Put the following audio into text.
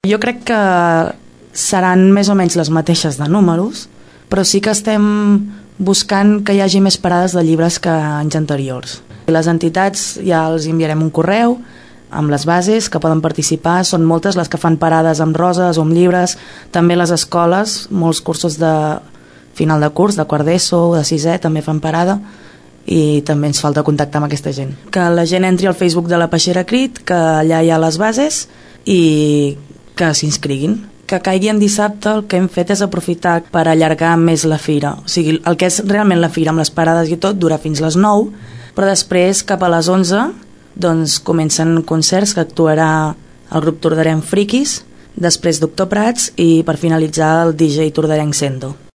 Jo crec que seran més o menys les mateixes de números, però sí que estem buscant que hi hagi més parades de llibres que anys anteriors. Les entitats ja els enviarem un correu amb les bases que poden participar, són moltes les que fan parades amb roses o amb llibres, també les escoles, molts cursos de final de curs, de quart d'ESO, de sisè, també fan parada, i també ens falta contactar amb aquesta gent. Que la gent entri al Facebook de la Peixera Crit, que allà hi ha les bases i que s'inscriguin. Que caigui en dissabte, el que hem fet és aprofitar per allargar més la fira. O sigui, el que és realment la fira amb les parades i tot dura fins les 9, però després cap a les 11 doncs comencen concerts que actuarà el grup Tordarenc Friquis, després Doctor Prats i per finalitzar el DJ Tordarenc Sendo.